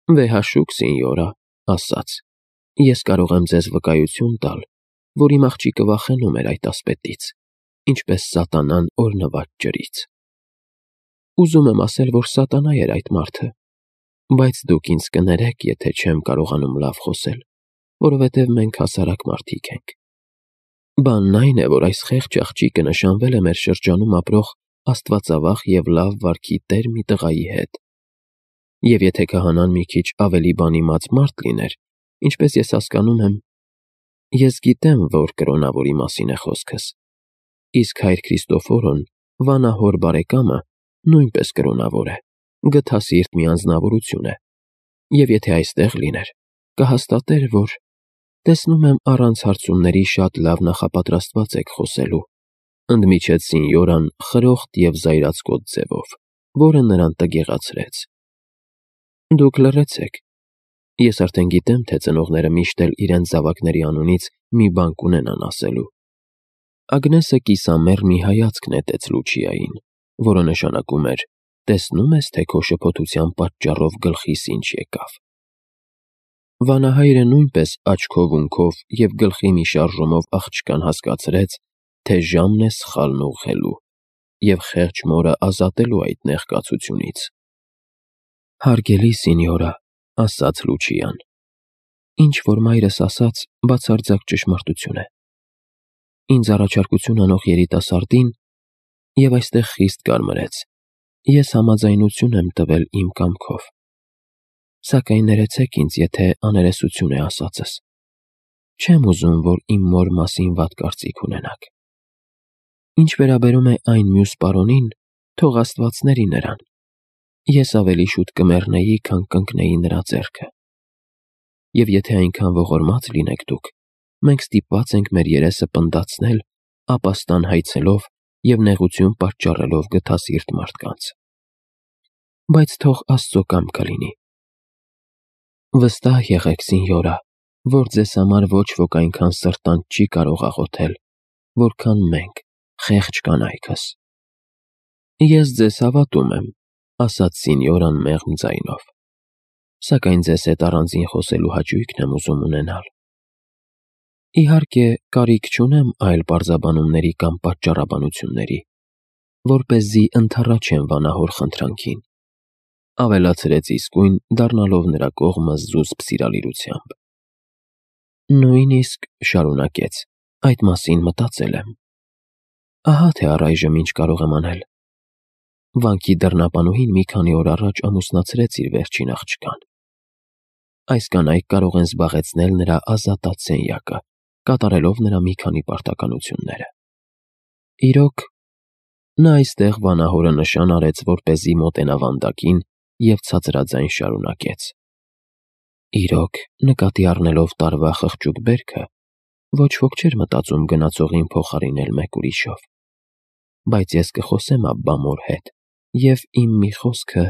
Վեհաշուկ սինյորա, ասաց. Ես կարող եմ ձեզ վկայություն տալ, որ իմ աղջիկը վախենում էր այդ ասպետից, ինչպես սատանան օրհնված ջրից։ Ուզում եմ ասել, որ սատանա էր այդ մարդը, բայց դուք ինձ կներեք, եթե չեմ կարողանում լավ խոսել, որովհետև մենք հասարակ մարդիկ ենք։ Բանն այն է, որ այս խեղճ աղջիկը նշանվել է մեր շրջանում ապրող աստվածավախ և լավ վարքի տեր մի տղայի հետ։ Եվ եթե քահանան մի քիչ ավելի բանիմաց մարդ լիներ, ինչպես ես հասկանում եմ, ես գիտեմ, որ կրոնավորի մասին է խոսքս, իսկ հայր Քրիստոֆորոն, վանահոր բարեկամը, նույնպես կրոնավոր է, գթասիրտ մի անձնավորություն է, և եթե այստեղ լիներ, կհաստատեր, որ տեսնում եմ առանց հարցումների շատ լավ նախապատրաստված եք խոսելու, ընդմիջեց սինյորան խրոխտ և զայրացկոտ ձևով, որը նրան տգեղացրեց։ Դուք լռեցեք։ Ես արդեն գիտեմ, թե ծնողները միշտ էլ իրենց զավակների անունից մի բան կունենան ասելու։ Ագնեսը կիսամեռ մի հայացք նետեց Լուչիային, որը նշանակում էր. տեսնում ես, թե քո շփոթության պատճառով գլխիս ինչ եկավ։ Վանահայրը նույնպես աչքով-ունքով և գլխի մի շարժումով աղջկան հասկացրեց, թե ժամն է սխալն ուղղելու և խեղճ մորը ազատելու այդ նեղկացությունից։ Հարգելի սինյորա, ասաց Լուչիան, ինչ որ մայրս ասաց, բացարձակ ճշմարտություն է։ Ինձ առաջարկություն անող երիտասարդին, և այստեղ խիստ կարմրեց, ես համաձայնություն եմ տվել իմ կամքով։ Սակայն ներեցեք ինձ, եթե աներեսություն է ասածս։ Չեմ ուզում, որ իմ մոր մասին վատ կարծիք ունենաք։ Ինչ վերաբերում է այն մյուս պարոնին, թող աստվածների նրան։ Ես ավելի շուտ կմեռնեի, քան կընկնեի նրա ձեռքը։ Եվ եթե այնքան ողորմած լինեք դուք, մենք ստիպված ենք մեր երեսը պնդացնել, ապաստան հայցելով և նեղություն պատճառելով գթասիրտ մարդկանց։ Բայց թող Աստծո կամքը լինի։ Վստահ եղեք, սինյորա, որ ձեզ համար ոչ ոք այնքան սրտանց չի կարող աղոթել, որքան մենք, խեղճ կանայքս։ Ես ձեզ հավատում եմ, ասաց սինյորան մեղմ ձայնով, սակայն ձեզ հետ առանձին խոսելու հաճույքն եմ ուզում ունենալ։ Իհարկե, կարիք չունեմ այլ պարզաբանումների կամ պատճառաբանությունների, որպեսզի ընդառաջեմ վանահոր խնդրանքին, ավելացրեց իսկույն, դառնալով նրա կողմը զուսպ սիրալիրությամբ։ Նույնիսկ, շարունակեց, այդ մասին մտածել եմ։ Ահա թե առայժմ ինչ կարող եմ անել։ Վանքի դռնապանուհին մի քանի օր առաջ ամուսնացրեց իր վերջին աղջկան։ Այս կանայք կարող են զբաղեցնել նրա ազատած սենյակը, կատարելով նրա մի քանի պարտականությունները։ Իրոք, նա այստեղ վանահորը նշան արեց, որպեսզի մոտենա վանդակին և ցածրաձայն շարունակեց. Իրոք, նկատի առնելով տարվա խղճուկ բերքը, ոչ ոք չէր մտածում գնացողին փոխարինել մեկ ուրիշով։ Բայց ես կխոսեմ Աբբա մոր հետ, և իմ մի խոսքը,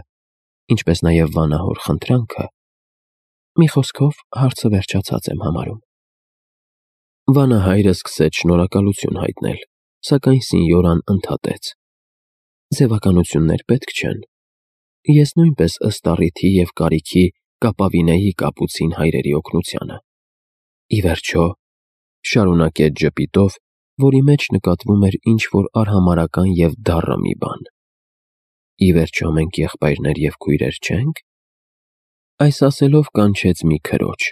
ինչպես նաև վանահոր խնդրանքը, մի խոսքով հարցը վերջացած եմ համարում։ Վանահայրը սկսեց շնորհակալություն հայտնել, սակայն սինյորան ընդհատեց. Ձևականություններ պետք չեն։ Ես նույնպես ըստ առիթի և կարիքի կապավինեի կապուցին հայրերի օգնությանը։ Ի վերջո, շարունակեց ժպիտով, որի մեջ նկատվում էր ինչ-որ արհամարհական և դառը մի բան։ Ի վերջո մենք եղբայրներ և քույրեր չե՞նք։ Այս ասելով կանչեց մի քրոջ,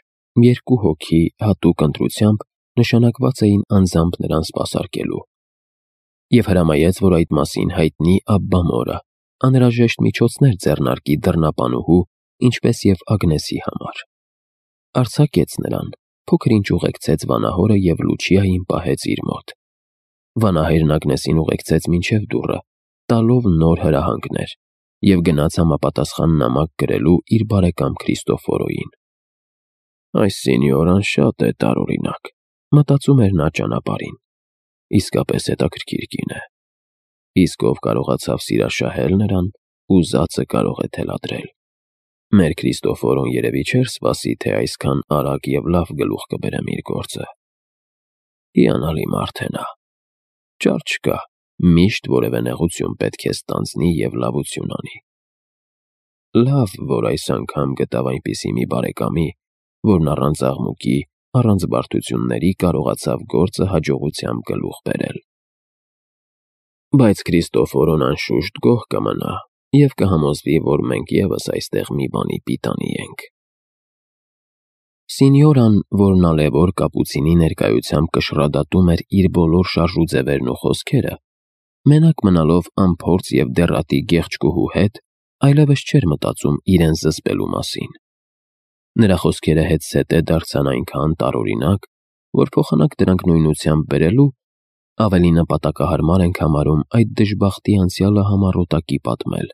երկու հոգի հատուկ ընտրությամբ նշանակված էին անձամբ նրան սպասարկելու, և հրամայեց, որ այդ մասին հայտնի Աբբա մորը, անհրաժեշտ միջոցներ ձեռնարկի դռնապանուհու, ինչպես և Ագնեսի համար։ Արձակեց նրան, փոքր-ինչ ուղեկցեց վանահորը և Լուչիային պահեց իր մոտ։ Վանահայրն Ագնեսին ուղեկցեց մինչև դուռը, տալով նոր հրահանգներ, և գնաց համապատասխան նամակ գրելու իր բարեկամ Քրիստոֆորոյին։ Այս սինյորան շատ է տարօրինակ, մտածում էր նա ճանապարհին։ Իսկապես հետաքրքիր կին է։ Իսկ ով կարողացավ սիրաշահել նրան, ուզածը կարող է թելադրել։ Մեր Քրիստոֆորոն երևի չէր սպասի, թե այսքան արագ և լավ գլուխ կբերեմ իր գործը։ Հիանալի մարդ է նա։ Ճար չկա, միշտ որևէ նեղություն պետք է ստանձնի և լավություն անի։ Լավ, որ այս անգամ գտավ այնպիսի մի բարեկամի, որն առանց աղմուկի, առանց բարդությունների կարողացավ գործը հաջողությամբ գլուխ բերել։ Բայց Քրիստոֆորոն անշուշտ գոհ կմնա և կհամոզվի, որ մենք ևս այստեղ մի բանի պիտանի ենք։ Սինյորան, որն ալևոր կապուցինի ներկայությամբ կշռադատում էր իր բոլոր շարժուձևերն ու խոսքերը, մենակ մնալով անփորձ և դեռատի գեղեցկուհու հետ, այլևս չէր մտածում իրեն զսպելու մասին։ Նրա խոսքերը հետզհետե դարձան այնքան տարօրինակ, որ փոխանակ դրանք նույնությամբ բերելու, ավելի նպատակահարմար ենք համարում այդ դժբախտի անցյալը համառոտակի պատմել,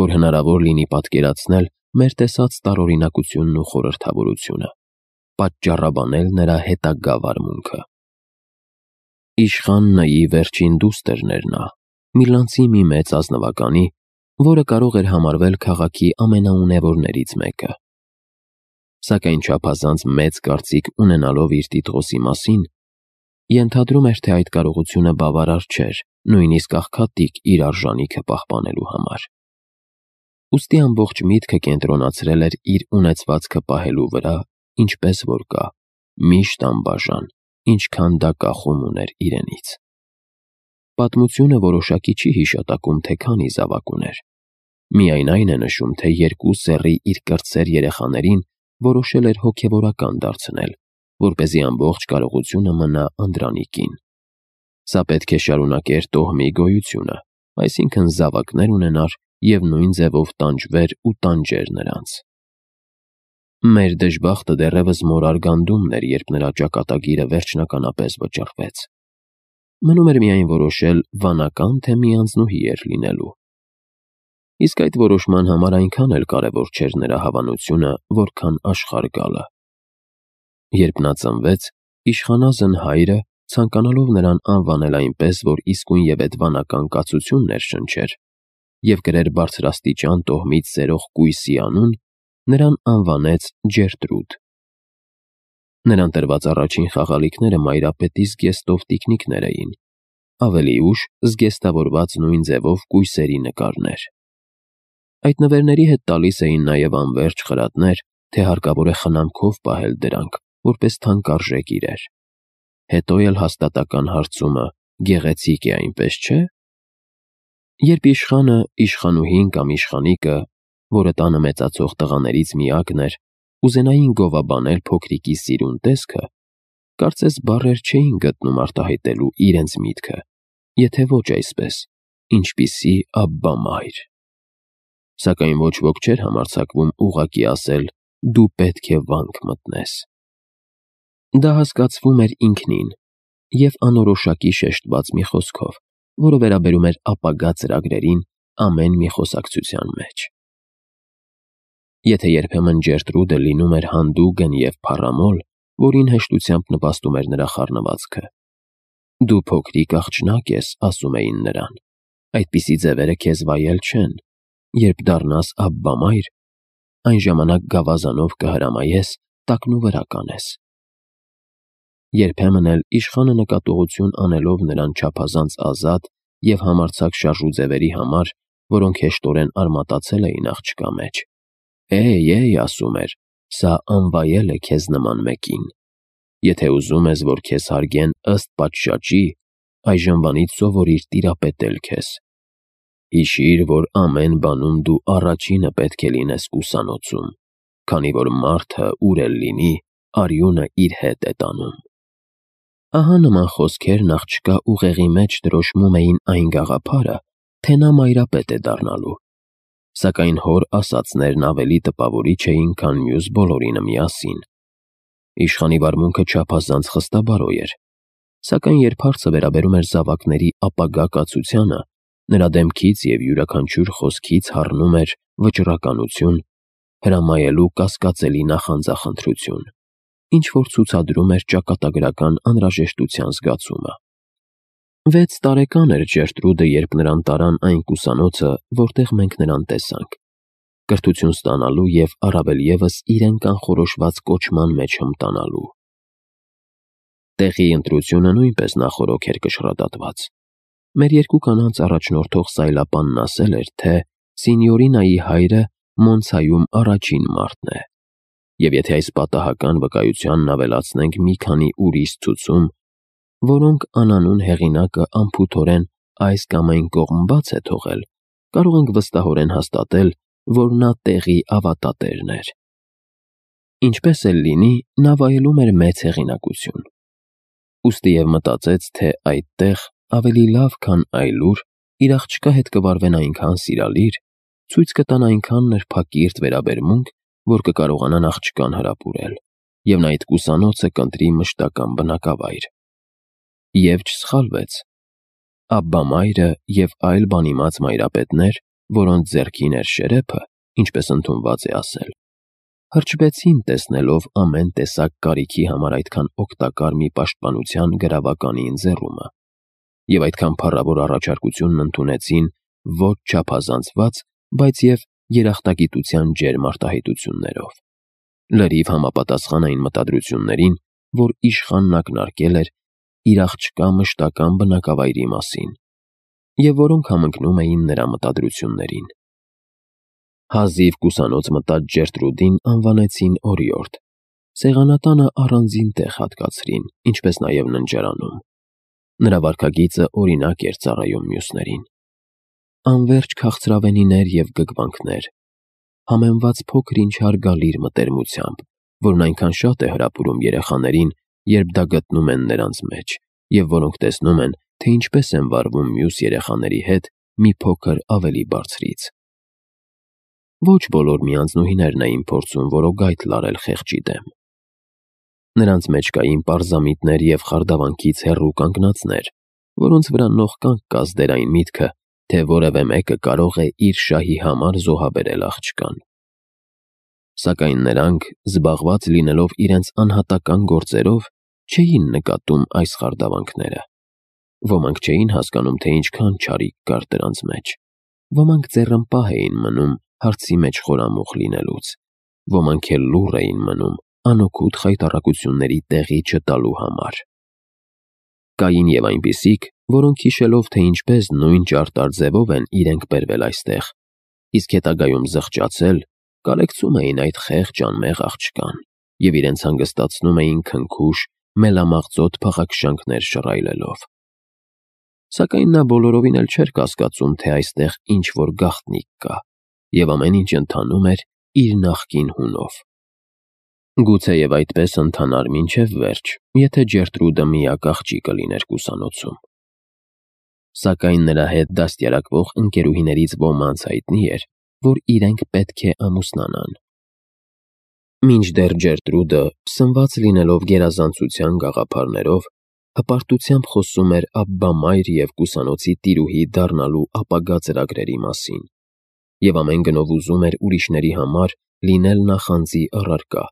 որ հնարավոր լինի պատկերացնել մեր տեսած տարօրինակությունն ու խորհրդավորությունը, պատճառաբանել նրա հետագա վարմունքը։ Իշխան Նայի վերջին դուստրն էր նա, միլանցի մի մեծ ազնվականի, որը կարող էր համարվել քաղաքի ամենաունևորներից մեկը։ Սակայն չափազանց մեծ կարծիք ունենալով իր տիտղոսի մասին, ենթադրում էր, թե այդ կարողությունը բավարար չէր նույնիսկ աղքատիկ իր արժանիքը պահպանելու համար։ Ուստի ամբողջ միտքը կենտրոնացրել էր իր ունեցվածքը պահելու վրա, ինչպես որ կա, միշտ անբաժան, ինչքան դա կախում ուներ իրենից։ Պատմությունը որոշակի չի հիշատակում, թե քանի զավակ ուներ։ Միայն այն է նշում, թե 2 սեռի իր կրտսեր երեխաներին որոշել էր հոգևորական դարձնել, որպեսզի ամբողջ կարողությունը մնա Անդրանիկին։ Սա պետք է շարունակեր տոհմի գոյությունը, այսինքն զավակներ ունենար և նույն ձևով տանջվեր ու տանջեր նրանց։ Մեր դժբախտը դեռևս մորար գանդումն էր, երբ նրա ճակատագիրը վերջնականապես վճռվեց։ Մնում էր միայն որոշել վանական, թե մի անձնուհի էր լինելու։ Իսկ այդ որոշման համար այնքան էլ կարևոր չէր նրա հավանությունը, որքան աշխարհ գալը։ Երբ նա ծնվեց, իշխանազն հայրը, ցանկանալով նրան անվանել այնպես, որ իսկույնևեթ վանական կացություն ներշնչեր և կրեր բարձրաստիճան տոհմից սերող կույսի անուն, նրան անվանեց Ջերտրուդ։ Նրան տրված առաջին խաղալիքները մայրապետի զգեստով տիկնիկներ էին, ավելի ուշ զգեստավորված նույն ձևով կույսերի նկարներ։ Այդ նվերների հետ տալիս էին նաև անվերջ խրատներ, թե հարկավոր է խնամքով պահել դրանք, որպես թանկարժեք իրեր։ Հետո էլ հաստատական հարցումը գեղեցիկ է, այնպես չէ՞։ Երբ իշխանը, իշխանուհին կամ իշխանիկը, որը տանը մեծացող տղաներից միակն էր, ուզենային գովաբանել փոքրիկի սիրուն տեսքը, կարծես բառեր չէին գտնում արտահայտելու իրենց միտքը, եթե ոչ այսպես, ինչպիսի Աբբա-մայր։ Սակայն ոչ ոք չէր համարձակվում ուղղակի ասել «դու պետք է վանք մտնես»։ Դա հասկացվում էր ինքնին և անորոշակի շեշտված մի խոսքով, որը վերաբերում էր ապագա ծրագրերին ամեն մի խոսակցության մեջ։ Եթե երբեմն Ջերտրուդը լինում էր հանդուգն և փառամոլ, որին հեշտությամբ նպաստում էր նրա խառնվածքը։ «Դու փոքրիկ աղջնակ ես», ասում էին նրան, «այդպիսի ձևերը քեզ վայել չեն, երբ դառնաս Աբբա-մայր, այն ժամանակ գավազանով կհրամայես, տակնուվրա կանես»։ Երբեմն էլ իշխանը նկատողություն անելով նրան չափազանց ազատ և համարձակ շարժուձևերի համար, որոնք հեշտորեն արմատացել էին աղջկա մեջ, «Էй, ասում էր, սա անվայել է քեզ նման մեկին։ Եթե ուզում ես, որ քեզ հարգեն ըստ պատշաճի, այժմվանից սովորիր տիրապետել քեզ։ Հիշիր, որ ամեն բանում դու առաջինը պետք է լինես ուսանոցում, քանի որ մարդը, ուր էլ լինի, արյունը իր հետ է տանում»։ Ահա նման խոսքերն աղջկա ուղեղի մեջ դրոշմում էին այն գաղափարը, թե նա մայրապետ է դառնալու։ Սակայն հոր ասածներն ավելի տպավորիչ էին, քան մյուս բոլորինը միասին։ Իշխանի վարմունքը չափազանց խստաբարոյ էր, սակայն երբ հարցը վերաբերում էր զավակների ապագա կացությանը, նրա դեմքից և յուրաքանչյուր խոսքից հառնում էր վճռականություն, հրամայելու կասկածելի նախանձախնդրություն, ինչ-որ ցուցադրում էր ճակատագրական անհրաժեշտության զգացումը։ 6 տարեկան էր Ջերտրուդը, երբ նրան տարան այն կուսանոցը, որտեղ մենք նրան տեսանք, կրթություն ստանալու և առավել ևս իրեն կանխորոշված կոչման մեջ հմտանալու։ Տեղի ընտրությունը նույնպես նախօրոք էր կշռադատված։ Մեր երկու կանանց առաջնորդող սայլապանն ասել էր, թե Սինյորինայի հայրը Մոնցայում առաջին մարդն է։ Եվ եթե այս պատահական վկայությանն ավելացնենք մի քանի ուրիշ ցուցում, որոնք անանուն հեղինակը անփութորեն այս կամ այն կողմ բաց է թողել, կարող ենք վստահորեն հաստատել, որ նա տեղի ավատատերն էր։ Ինչպես էլ լինի, նա վայելում էր մեծ հեղինակություն։ Ուստի և մտածեց, թե այդտեղ ավելի լավ, քան այլուր, իր աղջկա հետ կվարվեն այնքան սիրալիր, ցույց կտան այնքան նրբակիրթ վերաբերմունք, որ կկարողանան աղջկան հրապուրել, և նա այդ կուսանոցը կընտրի մշտական բնակավայր։ Եվ չսխալվեց։ Աբբա մայրը և այլ բանիմաց մայրապետներ, որոնց ձեռքին էր շերեփը, ինչպես ընդունված է ասել, հրճվեցին տեսնելով ամեն տեսակ կարիքի համար այդքան օգտակար մի պաշտպանության գրավականի ընձեռումը, և այդքան փառավոր առաջարկությունն ընդունեցին ոչ չափազանցված, բայց և երախտագիտության ջերմ արտահայտություններով, լրիվ համապատասխան այն մտադրություններին, որ իշխանն ակնարկել էր իր աղջկա մշտական բնակավայրի մասին, և որոնք համընկնում էին նրա մտադրություններին։ Հազիվ կուսանոց մտած Ջերտրուդին անվանեցին օրիորդ, սեղանատանը առանձին տեղ հատկացրին, ինչպես նաև ննջարանում։ Նրա վարքագիծը օրինակ էր ծառայում մյուսներին։ Անվերջ քաղցրավենիներ և գգվանքներ, համեմված փոքր-ինչ հարգալիր մտերմությամբ, որն այնքան շատ է հրապուրում երեխաներին, երբ դա գտնում են նրանց մեջ, և որոնք տեսնում են, թե ինչպես են վարվում մյուս երեխաների հետ մի փոքր ավելի բարձրից։ Ոչ բոլոր միանձնուհիներն էին փորձում որոգայթ լարել խեղճի դեմ։ Նրանց մեջ կային պարզամիտներ և խարդավանքից հեռու կանգնածներ, որոնց վրա նողկանք կազդեր այն միտքը, թե որևէ մեկը կարող է իր շահի համար զոհաբերել աղջկան։ Սակայն նրանք, զբաղված լինելով իրենց անհատական գործերով, չէին նկատում այս խարդավանքները։ Ոմանք չէին հասկանում, թե ինչքան չարիք կար դրանց մեջ։ Ոմանք ձեռնպահ էին մնում հարցի մեջ խորամուխ լինելուց, ոմանք էլ լուռ էին մնում անօգուտ խայտառակությունների տեղի չտալու համար։ Կային և այնպիսիք, որոնք հիշելով, թե ինչպես նույն ճարտար ձևով են իրենք բերվել այստեղ, իսկ հետագայում զղջացել, կարեկցում էին այդ խեղճ անմեղ աղջկան և իրենց հանգստացնում էին քնքուշ, մելամաղձոտ փաղաքշանքներ շռայլելով։ Սակայն նա բոլորովին էլ չէր կասկածում, թե այստեղ ինչ-որ գաղտնիք կա, և ամեն ինչ ընթանում էր իր նախկին հունով։ Գուցեև այդպես ընթանար մինչև վերջ, եթե Ջերտրուդը միակ աղջիկը լիներ կուսանոցում։ Սակայն նրա հետ դաստիարակվող ընկերուհիներից ոմանց հայտնի էր, որ իրենք պետք է ամուսնանան։ Մինչդեռ Ջերտրուդը, սնված լինելով գերազանցության գաղափարներով, հպարտությամբ խոսում էր Աբբա մայր և կուսանոցի տիրուհի դառնալու ապագա ծրագրերի մասին, և ամեն գնով ուզում էր ուրիշների համար լինել նախանձի առարկա,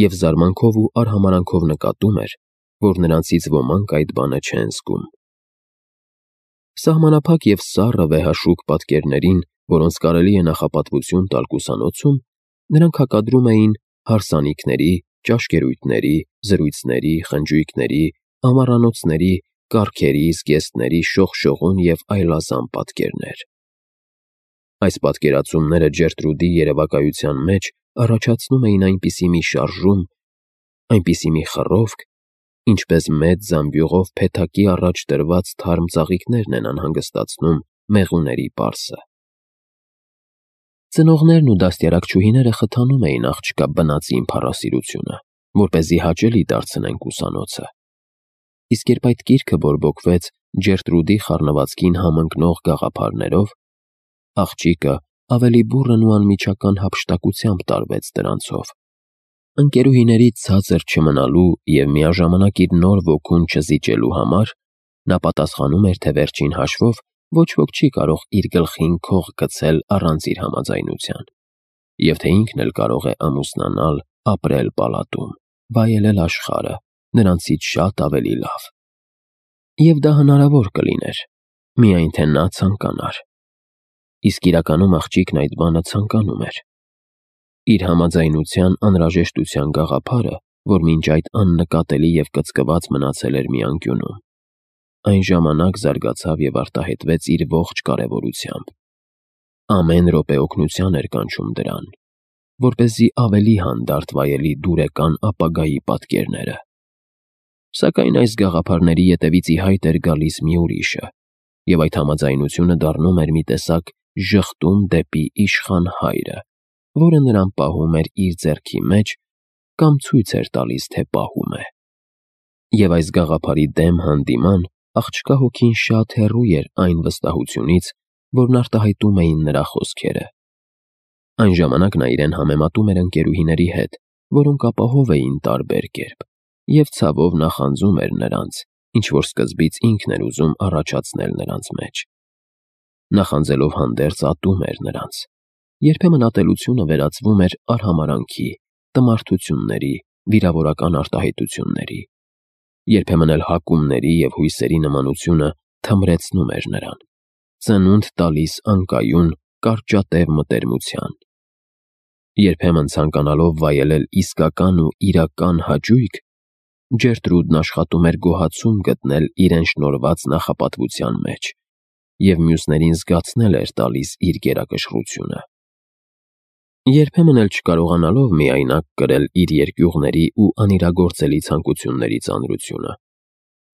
և զարմանքով ու արհամարհանքով նկատում էր, որ նրանցից ոմանք այդ բանը չեն զգում։ Սահմանափակ և սառը վեհաշուկ պատկերներին, որոնց կարելի է նախապատվություն տալ կուսանոցում, նրանք հակադրում էին հարսանիքների, ճաշկերույթների, զրույցների, խնջույքների, ամառանոցների, կառքերի, զգեստների շողշողուն և այլազան պատկերներ։ Այս պատկերացումները Ջերտրուդի երևակայության մեջ առաջացնում էին այնպիսի մի շարժում, այնպիսի մի խռովք, ինչպես մեծ զամբյուղով փեթակի առաջ դրված թարմ ծաղիկներն են անհանգստացնում մեղուների պարսը։ Ծնողներն ու դաստիարակչուհիները խթանում էին աղջկա բնածին փառասիրությունը, որպեսզի հաճելի դարձնեն կուսանոցը։ Իսկ երբ այդ կիրքը բորբոքվեց Ջերտրուդի խառնվածքին համընկնող գաղափարներով, աղջիկը ավելի բուռն ու անմիջական հափշտակությամբ տարվեց դրանցով։ Ընկերուհիներից ցածր չմնալու և միաժամանակ իր նոր ոգուն չզիջելու համար նա պատասխանում էր, թե վերջին հաշվով ոչ ոք չի կարող իր գլխին քող գցել առանց իր համաձայնության, և թե ինքն էլ կարող է ամուսնանալ, ապրել պալատում, վայելել աշխարհը, նրանցից շատ ավելի լավ։ Եվ դա հնարավոր կլիներ, միայն թե նա ցանկանար։ Իսկ իրականում աղջիկն այդ բանը ցանկանում էր։ Իր համաձայնության անհրաժեշտության գաղափարը, որ մինչ այդ աննկատելի և կծկված մնացել էր մի անկյունում, այն ժամանակ զարգացավ և արտահայտվեց իր ողջ կարևորությամբ։ Ամեն րոպե օգնության էր կանչում դրան, որպեսզի ավելի հանդարտ վայելի դուրեկան ապագայի պատկերները։ Սակայն այս գաղափարների ետևից ի հայտ էր գալիս մի ուրիշը, և այդ համաձայնությունը դառնում էր մի տեսակ ժխտում դեպի իշխան հայրը, որը նրան պահում էր իր ձեռքի մեջ կամ ցույց էր տալիս, թե պահում է։ Եվ այս գաղափարի դեմ հանդիման աղջկա հոգին շատ հեռու էր այն վստահությունից, որն արտահայտում էին նրա խոսքերը։ Այն ժամանակ նա իրեն համեմատում էր ընկերուհիների հետ, որոնք ապահով էին տարբեր կերպ, և ցավով նախանձում էր նրանց, ինչ որ սկզբից ինքն էր ուզում առաջացնել նրանց մեջ։ Նախանձելով հանդերձ ատում էր նրանց։ Երբեմն ատելությունը վերածվում էր արհամարհանքի, տմարդությունների, վիրավորական արտահայտությունների։ Երբեմն էլ հակումների և հույսերի նմանությունը թմրեցնում էր նրան, ծնունդ տալիս անկայուն, կարճատև մտերմության։ Երբեմն ցանկանալով վայելել իսկական ու իրական հաճույք, Ջերտրուդն աշխատում էր գոհացում գտնել իրեն շնորհված նախապատվության մեջ և մյուսներին զգացնել էր տալիս իր գերակշռությունը։ Երբեմն էլ չկարողանալով միայնակ կրել իր երկյուղների ու անիրագործելի ցանկությունների ծանրությունը,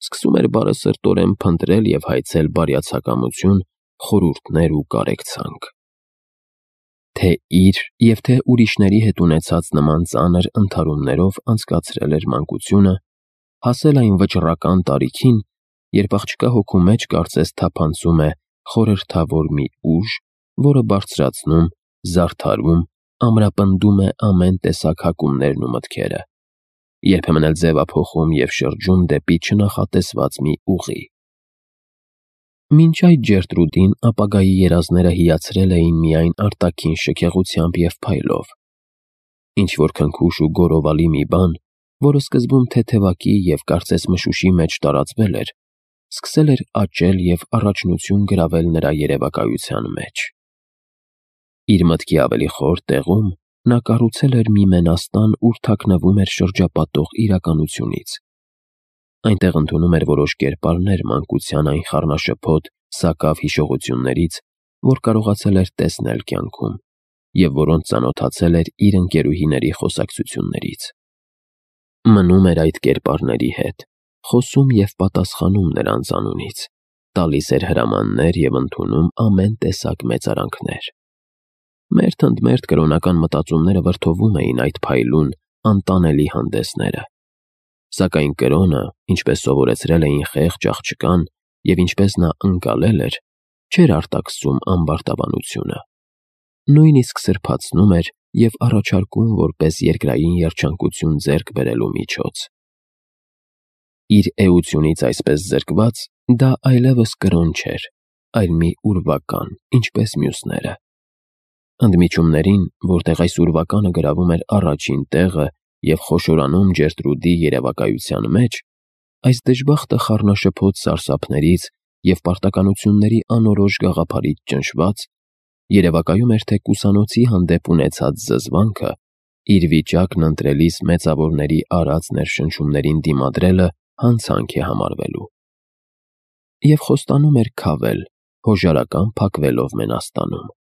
սկսում էր բարեսրտորեն փնտրել և հայցել բարյացակամություն, խորհուրդներ ու կարեկցանք։ Թե իր և թե ուրիշների հետ ունեցած նման ծանր ընդհարումներով անցկացրել էր մանկությունը, հասել այն վճռական տարիքին, երբ աղջկա հոգու մեջ կարծես թափանցում է խորհրդավոր մի ուժ, որը բարձրացնում, զարդարում, ամրապնդում է ամեն տեսակ հակումներն ու մտքերը, երբեմն էլ ձևափոխում և շրջում դեպի չնախատեսված մի ուղի։ Մինչ այդ Ջերտրուդին ապագայի երազները հիացրել էին միայն արտաքին շքեղությամբ և փայլով։ Ինչ-որ քնքուշ ու գոռովալի մի բան, որը սկզբում թեթևակի և կարծես մշուշի մեջ տարածվել էր, սկսել էր աճել և առաջնություն գրավել նրա երևակայության մեջ։ Իր մտքի ավելի խոր տեղում նա կառուցել էր մի մենաստան, ուր թաքնվում էր շրջապատող իրականությունից։ Այնտեղ ընդունում էր որոշ կերպարներ մանկության այն խառնաշփոթ, սակավ հիշողություններից, որ կարողացել էր տեսնել կյանքում, և որոնց ծանոթացել էր իր ընկերուհիների խոսակցություններից։ Մնում էր այդ կերպարների հետ, խոսում և պատասխանում նրանց անունից, տալիս էր հրամաններ և ընդունում ամեն տեսակ մեծարանքներ։ Մերթ ընդ մերթ կրոնական մտածումները վրդովում էին այդ փայլուն, անտանելի հանդեսները։ Սակայն կրոնը, ինչպես սովորեցրել էին խեղճ աղջկան և ինչպես նա ընկալել էր, չէր արտաքսում ամբարտավանությունը։ Նույնիսկ սրբացնում էր և առաջարկում որպես երկրային երջանկություն ձեռք բերելու միջոց։ Իր էությունից այսպես զրկված՝ դա այլևս կրոն չէր, այլ մի ուրվական, ինչպես մյուսները։ Ընդմիջումներին, որտեղ այս ուրվականը գրավում էր առաջին տեղը և խոշորանում Ջերտրուդի երևակայության մեջ, այս դժբախտը խառնաշփոթ սարսափներից և պարտականությունների անորոշ գաղափարից ճնշված, երևակայում էր, թե կուսանոցի հանդեպ ունեցած զզվանքը իր վիճակն ընտրելիս մեծավորների արած ներշնչումներին դիմադրելը հանցանք է համարվելու։ Եվ խոստանում էր քավել, հոժարական փակվելով մենաստանում։